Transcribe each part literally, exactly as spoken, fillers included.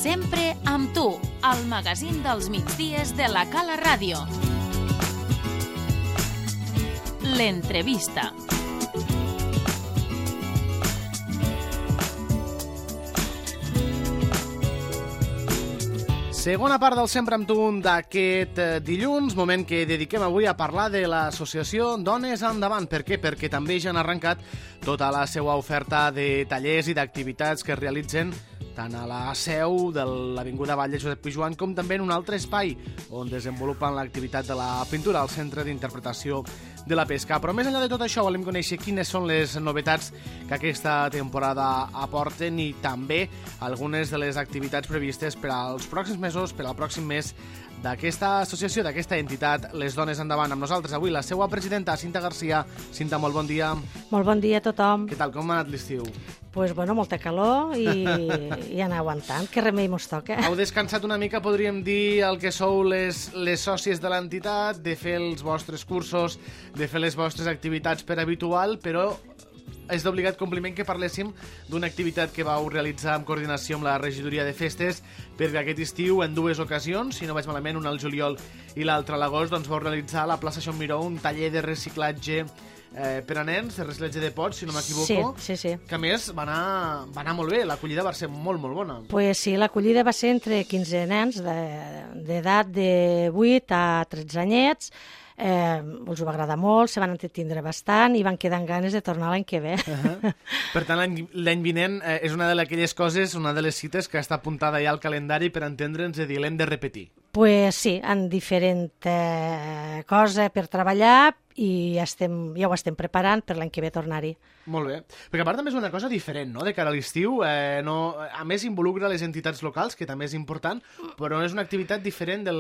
Sempre amb tu, el magazín dels migdies de la Cala Ràdio. L'entrevista. Segona part del Sempre amb tu d'aquest dilluns, moment que dediquem avui a parlar de l'associació Dones Endavant. Per què? Perquè també ja han arrencat tota la seva oferta de tallers i d'activitats que es realitzen tant a la seu de l'Avinguda Vall de Josep Pijoan com també en un altre espai on desenvolupen l'activitat de la pintura al Centre d'Interpretació de la Pesca. Però més enllà de tot això volem conèixer quines són les novetats que aquesta temporada aporten i també algunes de les activitats previstes per als pròxims mesos, per al pròxim mes d'aquesta associació, d'aquesta entitat, Les Dones Endavant. Amb nosaltres avui la seva presidenta, Cinta Garcia. Cinta, molt bon dia. Molt bon dia a tothom. Què tal, com ha anat l'estiu? Pues bueno, molta calor i, i anar aguantant. Què remei mos toca? Heu descansat una mica, podríem dir, el que sou les, les sòcies de l'entitat, de fer els vostres cursos, de fer les vostres activitats per habitual, però és d'obligat compliment que parléssim d'una activitat que vau realitzar en coordinació amb la regidoria de festes, perquè aquest estiu, en dues ocasions, si no vaig malament, una al juliol i l'altra a l'agost, doncs vau realitzar a la plaça Xon Miró un taller de reciclatge eh, per a nens, de reciclatge de pots, si no m'equivoco. Sí, sí, sí. Que a més va anar, va anar molt bé, l'acollida va ser molt, molt bona. Pues sí, l'acollida va ser entre quinze nens d'edat de, de vuit a tretze anyets. Eh, els ho va agradar molt, se van entretindre bastant i van quedar amb ganes de tornar l'any que ve. Uh-huh. Per tant, l'any vinent eh, és una d'aquelles coses, una de les cites que està apuntada ja al calendari per entendre'ns i dir, l'hem de repetir. Pues sí, en diferent eh, cosa per treballar i ja, estem, ja ho estem preparant per l'any que ve tornar-hi. Molt bé, perquè a part també és una cosa diferent, no?, de cara a l'estiu, eh, no, a més involucra les entitats locals, que també és important, però és una activitat diferent del,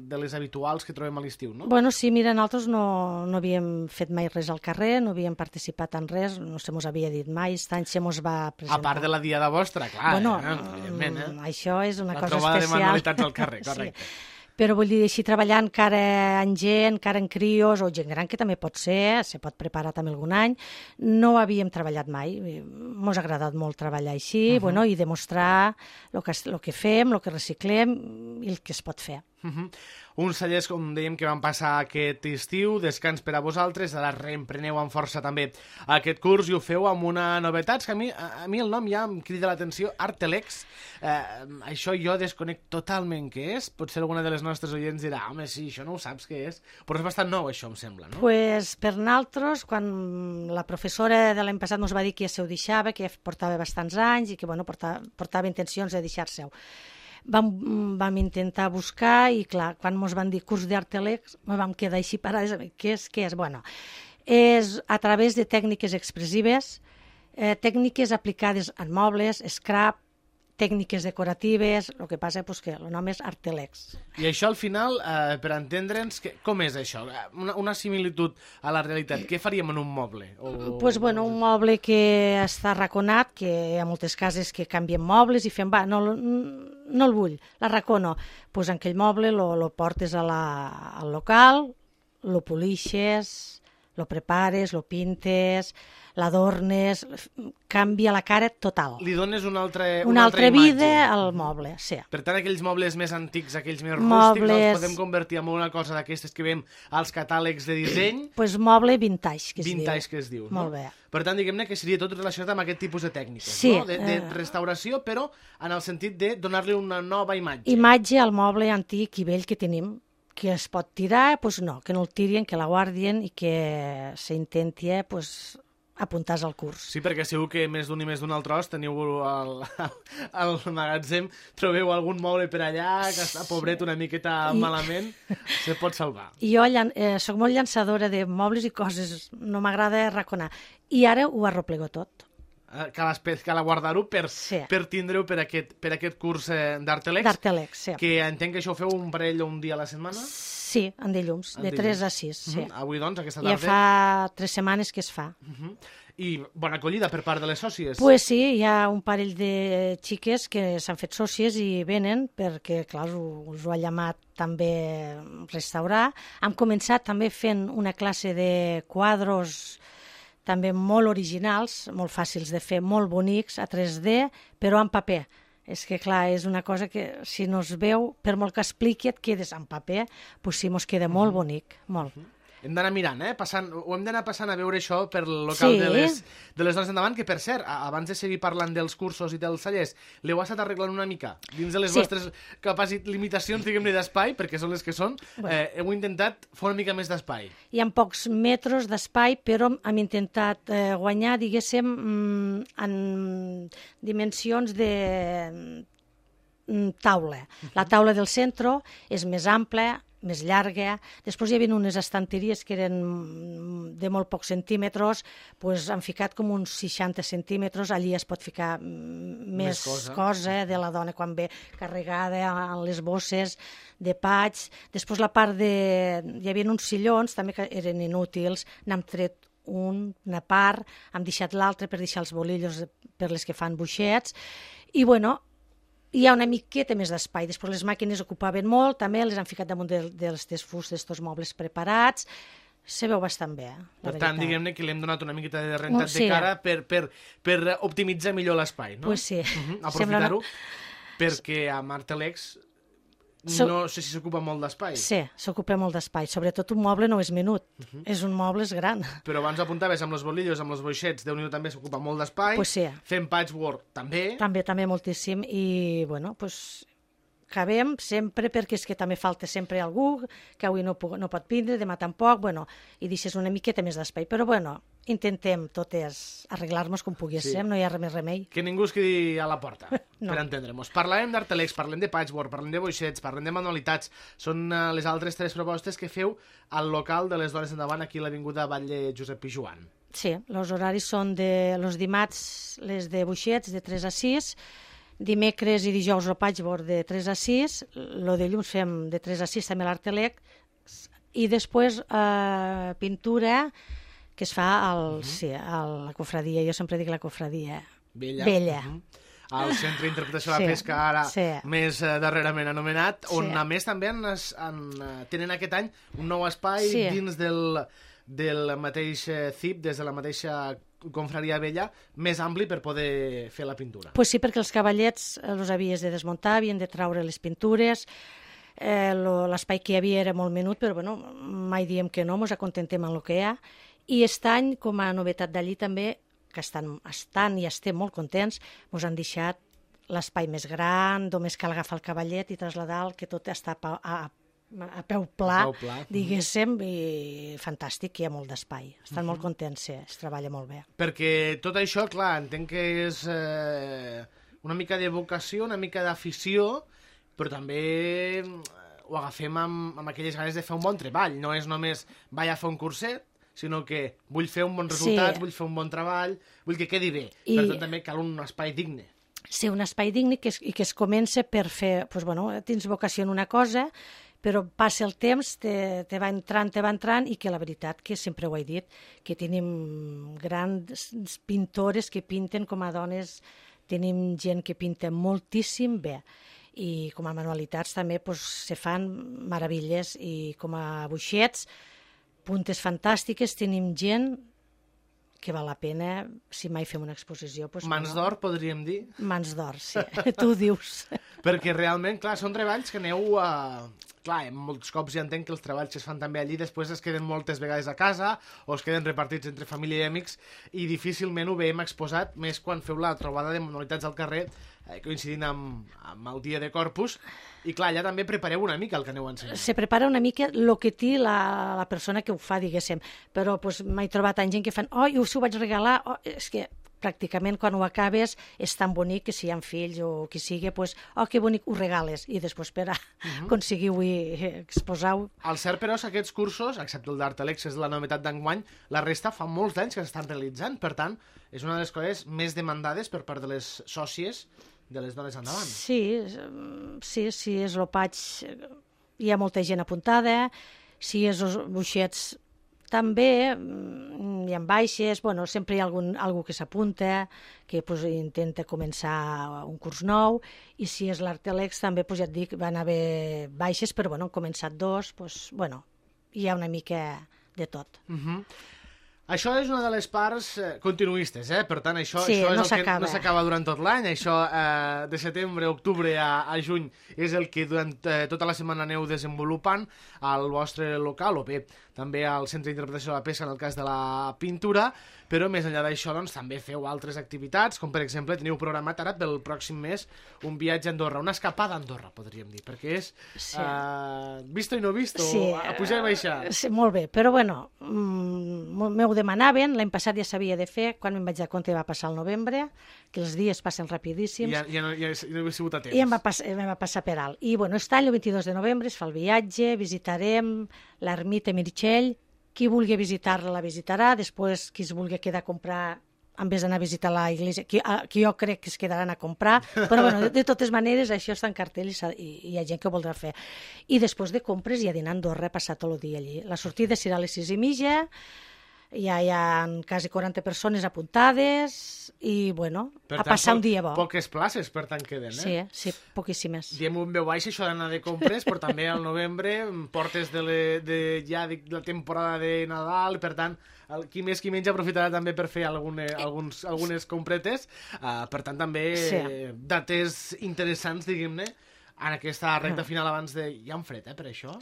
de les habituals que trobem a l'estiu, no? Bueno, sí, mira, nosaltres no, no havíem fet mai res al carrer, no havíem participat en res, no se mos havia dit mai, aquest any se mos va presentar. A part de la diada vostra, clar, bueno, eh? Evidentment, eh? Això és una la cosa trobada especial. de manualitats al carrer, correcte. Sí. Però vull dir, així treballant encara en gent, encara en crios, o gent gran, que també pot ser, se pot preparar també algun any, no havíem treballat mai. Mos ha agradat molt treballar així, uh-huh. bueno, i demostrar el que, el que fem, el que reciclem i el que es pot fer. Uh-huh. Uns tallers, com dèiem, que van passar aquest estiu, descans per a vosaltres, ara reempreneu amb força també aquest curs i ho feu amb una novetat, que a mi, a, a mi el nom ja em crida l'atenció, Artelex. Eh, això jo desconec totalment què és, potser alguna de les nostres oients dirà, home, sí, això no ho saps què és, però és bastant nou això, em sembla, no? Pues per nosaltres, quan la professora de l'any passat ens va dir que ja se ho deixava, que ja portava bastants anys i que bueno, portava, portava intencions de deixar-se-ho. Vam, vam intentar buscar i, clar, quan ens van dir curs d'Artelex, vam quedar així parades. Què és? Què és? Bueno, és a través de tècniques expressives, eh, tècniques aplicades en mobles, scrap, tècniques decoratives, el que passa és que el nom és Artelex. I això al final, eh, per entendre'ns, que, com és això? Una, una similitud a la realitat. Què faríem en un moble? O... Pues, bueno, un moble que està arraconat, que hi ha moltes cases que canvien mobles i fem, va, no, no el vull, l'arracono. Pues en aquell moble lo, lo portes a la, al local, lo polixes, lo prepares, lo pintes, l'adornes, canvia la cara total. Li dones una altra, una una altra altra imatge. vida al moble, sí. Per tant, aquells mobles més antics, aquells més Mobles... rústics, els podem convertir en una cosa d'aquestes que veiem als catàlegs de disseny. Pues moble vintage, que es vintage, diu. que es diu. Molt no? bé. Per tant, diguem-ne que seria tot relacionat amb aquest tipus de tècniques, sí, no? De, de eh... restauració, però en el sentit de donar-li una nova imatge. Imatge al moble antic i vell que tenim, que es pot tirar, doncs no, que no el tirien, que la guardien i que s'intenti pues, apuntar al curs. Sí, perquè segur que més d'un i més d'un altre os teniu al, al magatzem, trobeu algun moble per allà que està pobret una miqueta I... malament, se pot salvar. I jo eh, soc molt llançadora de mobles i coses, no m'agrada arraconar. I ara ho arroplego tot. Cal, cal guardar-ho per, sí. per tindre-ho per aquest, per aquest curs eh, d'Artelex. D'Artelex, sí. Que entenc que això ho feu un parell o un dia a la setmana? Sí, en dilluns, en de dilluns. tres a sis. Sí. Uh-huh. Avui, doncs, aquesta tarda... Ja fa tres setmanes que es fa. Uh-huh. I bona acollida per part de les sòcies? Pues sí, hi ha un parell de xiques que s'han fet sòcies i venen perquè, clar, us ho ha llamat també restaurar. Hem començat també fent una classe de quadros també molt originals, molt fàcils de fer, molt bonics, a tres D, però en paper, És que, clar, és una cosa que, si no es veu, per molt que expliqui, et quedes en paper, doncs sí, mos queda molt bonic, molt. Hem d'anar mirant, eh? Passant, ho hem d'anar passant a veure això per el local Sí. de, les, de les dones endavant, que per cert, a- abans de seguir parlant dels cursos i dels tallers, l'heu estat arreglant una mica dins de les Sí. vostres capacitat, limitacions, diguem-ne, d'espai, perquè són les que són, eh, heu intentat fer una mica més d'espai. Hi ha pocs metres d'espai, però hem intentat eh, guanyar, diguéssim, mm, en dimensions de mm, taula. La taula del centre és més ampla, més llarga. Després hi havia unes estanteries que eren mm, de molt pocs centímetres, doncs han ficat com uns seixanta centímetres, allí es pot ficar mm, més, Més cosa. cosa de la dona quan ve carregada en les bosses de patx. Després la part de... Hi havia uns sillons també que eren inútils, n'hem tret un, una part, hem deixat l'altre per deixar els bolillos per les que fan buixets, i bueno, hi ha una miqueta més d'espai. Després les màquines ocupaven molt, també les han ficat damunt de, dels desfús d'estos mobles preparats. Se veu bastant bé, la Per veritat. tant, diguem-ne que li hem donat una miqueta de rentat Sí. de cara per, per, per optimitzar millor l'espai, no? Pues sí. Mhm, Sembla aprofitar-ho, perquè a Martelex So- no sé si s'ocupa molt d'espai. Sí, s'ocupa molt d'espai. Sobretot un moble no és menut, és un moble és gran. Però abans apuntaves amb els bolillos, amb els boixets, Déu-n'hi-do també s'ocupa molt d'espai. Pues sí. Fent patchwork també. També, també moltíssim. I, bueno, pues, acabem sempre, perquè és que també falta sempre algú, que avui no, puc, no pot vindre, demà tampoc, bueno, i deixes una miqueta més d'espai. Però, bueno, intentem totes arreglar-nos com poguéssim, Sí. no hi ha res més remei. Que ningú es quedi a la porta, No. per entendre-nos. Parlarem d'Artelex, parlem de patchwork, parlem de boixets, parlem de manualitats. Són uh, les altres tres propostes que feu al local de les dones endavant, aquí a l'Avinguda Batlle Josep Pijuan. Sí, els horaris són de los dimarts, les de buixets, de tres a sis, dimecres i dijous el patchwork de tres a sis, lo de llums fem de tres a sis també l'Artelec, i després eh, pintura que es fa al, uh-huh. sí, a la cofradia, jo sempre dic la cofradia. Vella. Vella. Uh -huh. Al Centre d'Interpretació de la Sí, Pesca, ara sí. més eh, darrerament anomenat, on Sí. a més també han, es- han, eh, tenen aquest any un nou espai Sí. dins del, del mateix eh, C I P, des de la mateixa confraria vella, més ampli per poder fer la pintura. Pues sí, perquè els cavallets eh, els havies de desmuntar, havien de traure les pintures, eh, lo- l'espai que hi havia era molt menut, però bueno, mai diem que no, ens acontentem amb el que hi ha. I aquest any, com a novetat d'allí també, que estan, estan i estem molt contents, ens han deixat l'espai més gran, només cal agafar el cavallet i traslladar-lo, que tot està a, pa- a, a peu pla, A peu pla. diguéssim, i fantàstic, hi ha molt d'espai. Estan molt contents, sí, es treballa molt bé. Perquè tot això, clar, entenc que és eh, una mica de vocació, una mica d'afició, però també eh, ho agafem amb, amb aquelles ganes de fer un bon treball. No és només vaig a fer un curset, sinó que vull fer un bon resultat, Sí. vull fer un bon treball, vull que quedi bé. I- Per tant, també cal un espai digne. Ser un espai digne que es, i que es comença per fer, doncs, bueno, tens vocació en una cosa, però passa el temps, te, te va entrant, te va entrant, i que la veritat, que sempre ho he dit, que tenim grans pintores que pinten com a dones, tenim gent que pinta moltíssim bé, i com a manualitats també doncs, se fan meravilles, i com a buixets, puntes fantàstiques, tenim gent que val la pena, si mai fem una exposició... Doncs, Mans bueno, d'or, podríem dir, Mans d'or, sí. Tu ho dius. perquè realment, clar, són treballs que aneu a... Clar, molts cops ja entenc que els treballs que es fan també allí després es queden moltes vegades a casa o es queden repartits entre família i amics i difícilment ho veiem exposat, més quan feu la trobada de manualitats al carrer eh, coincidint amb, amb el dia de Corpus, i clar, allà també prepareu una mica el que aneu ensenyant. Se prepara una mica el que té la, la persona que ho fa, diguéssim. Però pues, m'he trobat tant gent que fan oh, jo us ho vaig regalar, oh, és que pràcticament quan ho acabes és tan bonic que si hi ha fills o qui sigui, pues, oh, que bonic, ho regales, i després per a uh-huh. aconseguiu i exposar-ho. El cert, però, és que aquests cursos, excepte el d'Artelex, és la novetat d'enguany, la resta fa molts anys que s'estan realitzant, per tant, és una de les coses més demandades per part de les sòcies de les dones endavant. Sí, sí, sí, és el paig, hi ha molta gent apuntada, si és els buixets també, mm, hi ha baixes, bueno, sempre hi ha algun, algú que s'apunta, que pues, intenta començar un curs nou, i si és l'Artelex també, pues, ja et dic, van haver baixes, però bueno, han començat dos, pues, bueno, hi ha una mica de tot. Uh -huh. Això és una de les parts eh, continuistes, eh? Per tant, això, Sí, això és no el que s'acaba. no s'acaba durant tot l'any. Això eh, de setembre, octubre a, a juny és el que durant eh, tota la setmana aneu desenvolupant al vostre local, o bé també al Centre d'Interpretació de la Pesca en el cas de la pintura, però més enllà d'això doncs, també feu altres activitats, com per exemple teniu programat ara pel pròxim mes un viatge a Andorra, una escapada a Andorra, podríem dir, perquè és Sí. eh, visto i no visto, Sí, a pujar i baixar. Sí, molt bé, però bueno, mm, m'ho demanaven, l'any passat ja s'havia de fer, quan me'n vaig dar compte va passar el novembre, que els dies passen rapidíssims, Ja, ja, no, ja, ja no he sigut a temps. i em va, pas, em va passar per alt. I bueno, aquest any, el vint-i-dos de novembre, es fa el viatge, visitarem l'ermita Meritxell, qui vulgui visitar-la la visitarà, després qui es vulgui quedar a comprar en vez d'anar a visitar la iglesia, qui, a, qui jo crec que es quedaran a comprar, però bueno, de, de totes maneres això està en cartell i, i, i hi ha gent que ho voldrà fer. I després de compres i a dinar a Andorra, passar tot el dia allí. La sortida serà a les sis i mitja, ja hi ha quasi quaranta persones apuntades i, bueno, Per a tant, passar po- un dia bo. Poques places, per tant, queden, eh? Sí, sí, poquíssimes. Diem un veu baix això d'anar de compres, però també al novembre portes de, le, de ja de la temporada de Nadal, per tant, el, qui més qui menys aprofitarà també per fer algune, alguns, algunes compretes, uh, per tant també Sí. eh, dates interessants, diguem-ne, en aquesta recta final abans de... Hi ha un fred, eh, per això?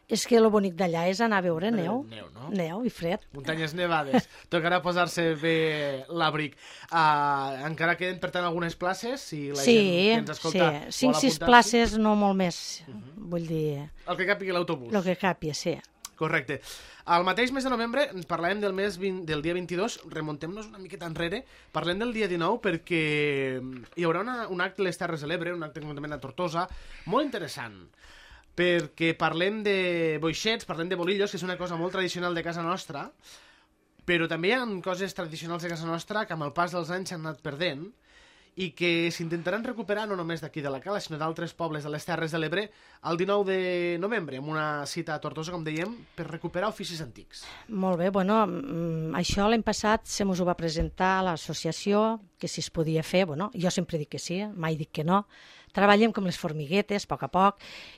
És que el bonic d'allà és anar a veure neu. Neu, no? Neu i fred. Muntanyes nevades. Tocarà posar-se bé l'abric. Uh, encara queden, per tant, algunes places, si la Sí, gent que ens sí. escolta Cinc, vol sis apuntar-s'hi. places, no molt més. Vull dir, El que capigui l'autobús. el que capi, sí. Correcte. Al mateix mes de novembre parlàvem del mes vint, del dia vint-i-dos, remontem-nos una miqueta enrere, parlem del dia dinou perquè hi haurà una, un acte a les Terres de l'Ebre, un acte concretament a Tortosa, molt interessant, perquè parlem de boixets, parlem de bolillos, que és una cosa molt tradicional de casa nostra, però també hi ha coses tradicionals de casa nostra que amb el pas dels anys s'han anat perdent i que s'intentaran recuperar no només d'aquí de la Cala, sinó d'altres pobles de les Terres de l'Ebre el dinou de novembre, amb una cita a Tortosa, com dèiem, per recuperar oficis antics. Molt bé, bueno, mm, això l'any passat se mos ho va presentar a l'associació, que si es podia fer, bueno, jo sempre dic que sí, mai dic que no. Treballem com les formiguetes, a poc a poc,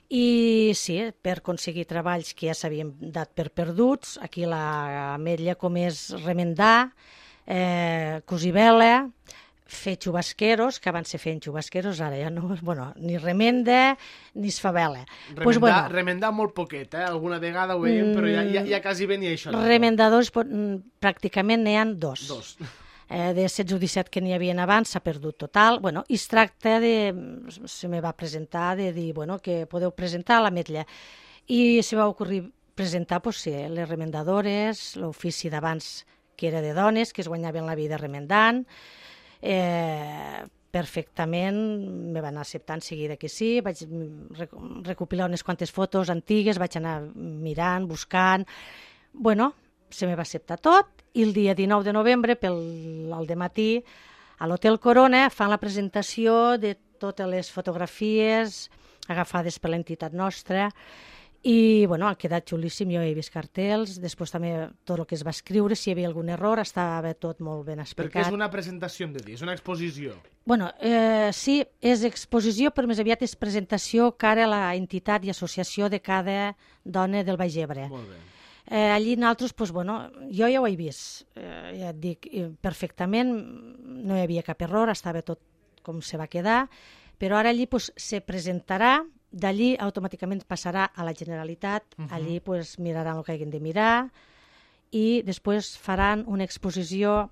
i sí, per aconseguir treballs que ja s'havien dat per perduts, aquí la ametlla com és remendar, eh, cosir vela, fer xubasqueros, que abans se feien xubasqueros, ara ja no, bueno, ni remenda ni es fa vela. Remendar, Pues, bueno, remendar molt poquet, eh? Alguna vegada ho veiem, però ja, ja, ja quasi ben i això. no? remendadors pot- mm, pràcticament n'hi ha dos. Dos. Eh, de setze o disset que n'hi havia abans s'ha perdut total. Bueno, i es tracta de... Se me va presentar de dir, bueno, que podeu presentar a l'ametlla. I se va ocorrir presentar, pues, sí, les remendadores, l'ofici d'abans que era de dones, que es guanyaven la vida remendant. Eh, perfectament me van acceptar en seguida que sí, vaig rec recopilar unes quantes fotos antigues, vaig anar mirant, buscant, bueno, se me va acceptar tot, i el dia dinou de novembre, pel al dematí, a l'Hotel Corona fan la presentació de totes les fotografies agafades per l'entitat nostra, i bueno, ha quedat xulíssim, jo he vist cartells, després també tot el que es va escriure, si hi havia algun error, estava tot molt ben explicat. Perquè és una presentació, hem de dir, és una exposició. Bueno, eh, sí, és exposició, però més aviat és presentació cara a la entitat i associació de cada dona del Baix Ebre. Molt bé. Eh, allí nosaltres, pues, bueno, jo ja ho he vist, eh, ja et dic, eh, perfectament, no hi havia cap error, estava tot com se va quedar, però ara allí pues, se presentarà, d'allí automàticament passarà a la Generalitat, uh -huh. allí pues, miraran el que hagin de mirar i després faran una exposició,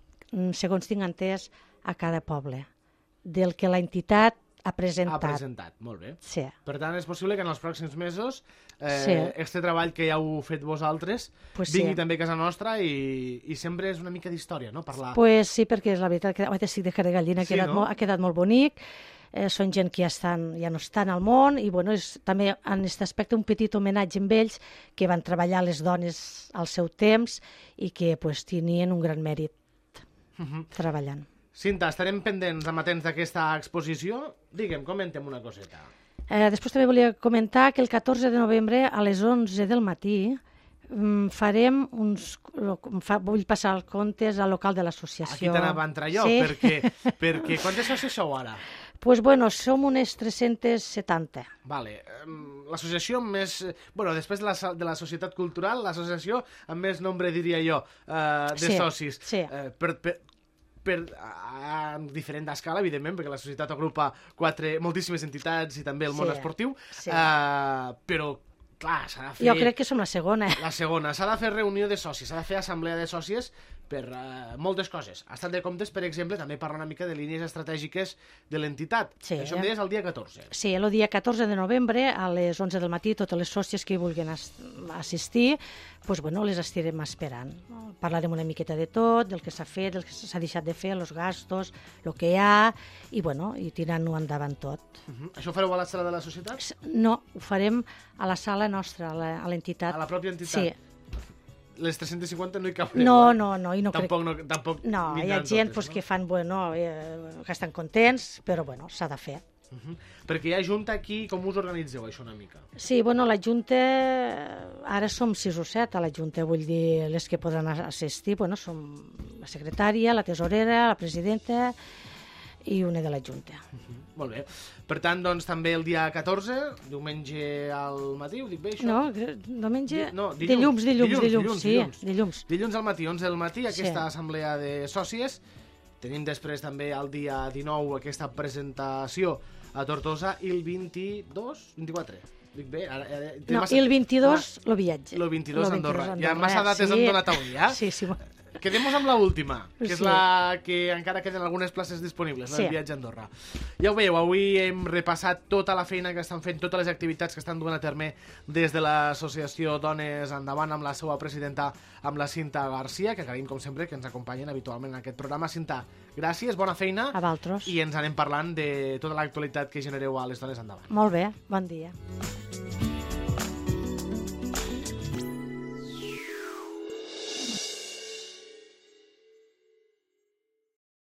segons tinc entès, a cada poble, del que l'entitat ha presentat. Ha presentat, molt bé. Sí. Per tant, és possible que en els pròxims mesos eh, Sí. este treball que ja heu fet vosaltres Pues vingui sí. també a casa nostra i, i sempre és una mica d'història, no? Parlar... Pues sí, perquè és la veritat que oh, estic de cara de gallina, ha, Sí, quedat no? molt, ha quedat molt bonic, eh, són gent que ja, estan, ja no estan al món i bueno, és també en aquest aspecte un petit homenatge amb ells que van treballar les dones al seu temps i que pues, tenien un gran mèrit Uh -huh. treballant. Cinta, estarem pendents, amatents d'aquesta exposició. Digue'm, comenta'm una coseta. Eh, després també volia comentar que el catorze de novembre a les onze del matí mm, farem uns... Fa, vull passar els comptes al local de l'associació. Aquí t'anava a entrar jo, sí? perquè, perquè quantes socis sou ara? Pues bueno, som unes tres-centes setanta. Vale. L'associació amb més... Bueno, després de la, de la societat cultural, l'associació amb més nombre, diria jo, eh, de sí, socis. Sí. Eh, per, per, per, a diferent escala, evidentment, perquè la societat agrupa quatre, moltíssimes entitats i també el món sí, esportiu, sí. eh, però, clar, s'ha de fer... Jo crec que som la segona. La segona. S'ha de fer reunió de socis, s'ha de fer assemblea de socis per uh, moltes coses. Ha estat de comptes, per exemple, també parlar una mica de línies estratègiques de l'entitat. Sí. Això em deies el dia catorze. Sí, el dia catorze de novembre, a les onze del matí, totes les sòcies que hi vulguin assistir, pues, bueno, les estirem esperant. Parlarem una miqueta de tot, del que s'ha fet, del que s'ha deixat de fer, els gastos, el que hi ha, i, bueno, i tirant-ho endavant tot. Uh-huh. Això ho fareu a la sala de la societat? No, ho farem a la sala nostra, a l'entitat. A la pròpia entitat? Sí. Les tres-cents cinquanta no hi cabreu? No, eh? no, no, i no tampoc, crec... no, tampoc no, hi ha gent totes, pues, no? que fan, bueno, eh, que estan contents, però, bueno, s'ha de fer. Uh-huh. Perquè hi ha junta aquí, com us organitzeu això una mica? Sí, bueno, la Junta, ara som sis o set a la Junta, vull dir, les que poden assistir, bueno, som la secretària, la tesorera, la presidenta i una de la Junta. Uh-huh. Molt bé. Per tant, doncs, també el dia catorze, diumenge al matí, ho dic bé, això? No, diumenge... Di no, dilluns, dilluns, dilluns, dilluns, dilluns, sí, dilluns. dilluns. Dilluns al matí, onze del matí, aquesta Sí. assemblea de sòcies. Tenim després també el dia dinou aquesta presentació a Tortosa i el vint-i-dos, vint-i-quatre. Dic bé? Ara, ara, No, i el vint-i-dos, lo viatge. El vint-i-dos a Andorra. Andorra. Ja massa dates sí. hem donat avui, ja? Sí, sí. Quedem-nos amb l'última, que és Sí. la que encara queden algunes places disponibles, no? Sí. El viatge a Andorra. Ja ho veieu, avui hem repassat tota la feina que estan fent, totes les activitats que estan duent a terme des de l'associació Dones Endavant amb la seva presidenta, amb la Cinta Garcia, que agraïm, com sempre, que ens acompanyen habitualment en aquest programa. Cinta, gràcies, bona feina. A vosaltres. I ens anem parlant de tota l'actualitat que genereu a les Dones Endavant. Molt bé, bon dia.